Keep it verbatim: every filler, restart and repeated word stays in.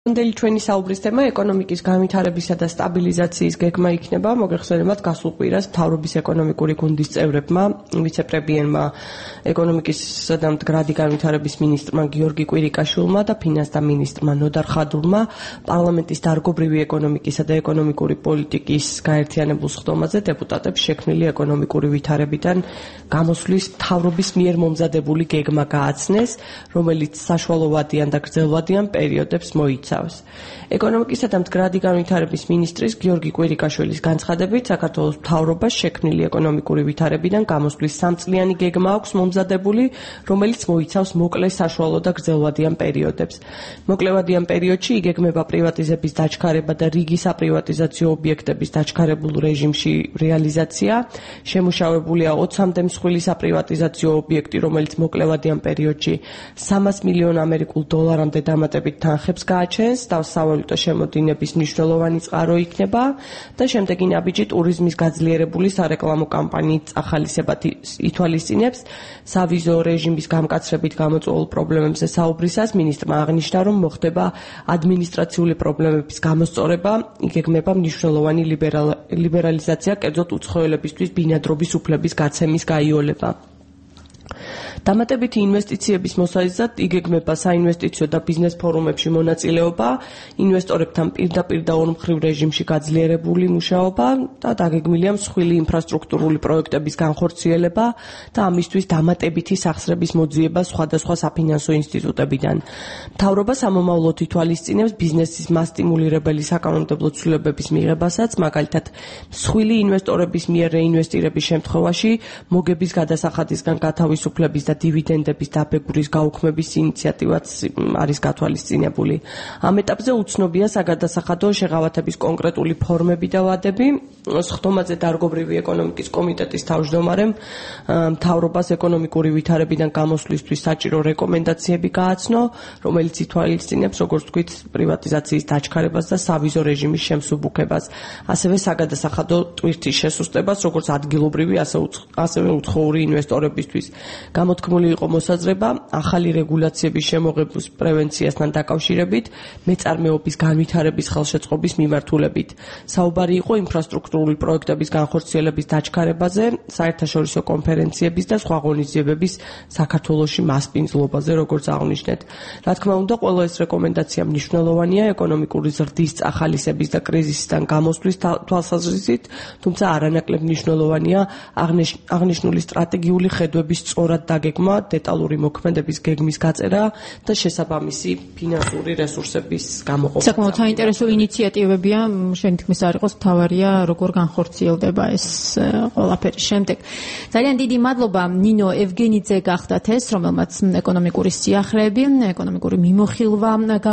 Ანდელი ჩვენი საუბრის თემა ეკონომიკის განვითარებისა და სტაბილიზაციის გეგმა იქნება. მოგეხსენებათ, გასულ კვირას მთავრობის ეკონომიკური გუნდის წევრებმა, ვიცე-პრემიერმა, ეკონომიკისა და მდგრადი განვითარების მინისტრმა გიორგი კვირიკაშვილმა და ფინანსთა მინისტრმა ნოდარ ხადურმა პარლამენტის დარგობრივი ეკონომიკისა და ეკონომიკური პოლიტიკის გაერთიანებულ სხდომაზე დეპუტატებს შექმნილი ეკონომიკური ვითარებიდან გამოსვლის მთავრობის მიერ მომზადებული გეგმა გააცნეს, რომელიც საშუალოვადიან და გრძელვადიან პერიოდებს მოიცავს. ეკონომიკისა და მდგრადი განვითარების მინისტრის გიორგი კვირიკაშვილის განცხადებით, საქართველოს მთავრობას შექმნილი ეკონომიკური ვითარებიდან გამოსვლის სამწლიანი გეგმა აქვს მომზადებული, რომელიც მოიცავს მოკლე, საშუალო და გრძელვადიან პერიოდებს. მოკლევადიან პერიოდში იგეგმება პრივატიზების დაჩქარება და რიგი საპრივატიზაციო ობიექტების დაჩქარებულ რეჟიმში რეალიზაცია. შემუშავებულია ოცამდე მსხვილი საპრივატიზაციო ობიექტი, რომელიც მოკლევადიან პერიოდში სამას მილიონ ამერიკულ დოლარამდე დამატებით თანხებს გააჩენს და სავალუტო შემოდინების მნიშვნელოვანი წყარო იქნება და შემდეგი ნაბიჯი ტურიზმის გაძლიერებული სარეკლამო კამპანიით ახალისება ითვალისწინებს. სავიზო რეჟიმის გამკაცრებით გამოწვეულ პრობლემებზე საუბრისას მინისტრმა აღნიშნა, რომ მოხდება ადმინისტრაციული პრობლემების გამოსწორება, იგეგმება მნიშვნელოვანი ლიბერალიზაცია, კერძოდ უცხოელებისთვის ბინადრობის უფლების გაცემის გაიოლება. დამატებითი ინვესტიციების მოსაზრად იგეგმება საინვესტიციო და ბიზნეს ფორუმებში მონაწილეობა, ინვესტორებთან პირდაპირ და ორმხრივ რეჟიმში გაძლიერებული მუშაობა და დაგეგმილია მსხვილი ინფრასტრუქტურული პროექტების განხორციელება და ამისთვის დამატებითი სახსრების მოძიება სხვადასხვა საფინანსო ინსტიტუტებიდან. მთავრობა სამომავლოდ ითვალისწინებს ბიზნესის მასტიმულირებელი საკანონმდებლო ცვლილებების მიღებასაც, მაგალითად, მსხვილი ინვესტორების მიერ რეინვესტირების შემთხვევაში მოგების გადასახადისგან გათავისუფლების და დივიდენდების დაბეგვრის გაუქმების ინიციატივაც არის გათვალისწინებული. ამ ეტაპზე უცნობია საგადასახადო შეღავათების კონკრეტული ფორმები და ვადები. სხდომაზე დარგობრივი ეკონომიკის კომიტეტის თავმჯდომარემ მთავრობას ეკონომიკური ვითარებიდან გამოსვლისთვის საჭირო რეკომენდაციები გააცნო, რომელიც ითვალისწინებს, როგორც თქვით, პრივატიზაციის დაჩქარებას და სავიზო რეჟიმის შემსუბუქებას, ასევე საგადასახადო ტვირთის შესუსტებას, როგორც ადგილობრივი, ასევე უცხოური ინვესტორებისთვის. გამოთქმული იყო მოსაზრება ახალი რეგულაციების შემოღების პრევენციასთან დაკავშირებით მეწარმეობის განვითარების ხელშეწყობის მიმართულებით. საუბარი იყო ინფრასტრუქტურული პროექტების განხორციელების დაჩქარებაზე, საერთაშორისო კონფერენციების და სხვა ღონისძიებების საქართველოში მასპინძლობაზე, როგორც აღნიშნეთ. რა თქმა უნდა, ყველა ეს რეკომენდაცია მნიშვნელოვანია ეკონომიკური ზრდის წახალისების და კრიზისიდან გამოსვლის თვალსაზრისით, თუმცა არანაკლებ მნიშვნელოვანია აღნიშნული სტრატეგიული ხედვების სწორად დაგეგმა, დეტალური მოქმედების გეგმის გაწერა და შესაბამისი ფინანსური რესურსების გამოყოფა. საკმაოდ საინტერესო ინიციატივებია, შენ თქმის არ იყოს, მთავარია როგორ განხორციელდება ეს ყველაფერი შემდეგ. ძალიან დიდი მადლობა ნინო ევგენიძე გახდათ ეს, რომელმაც ეკონომიკური სიახლეები, ეკონომიკური მიმოხილვა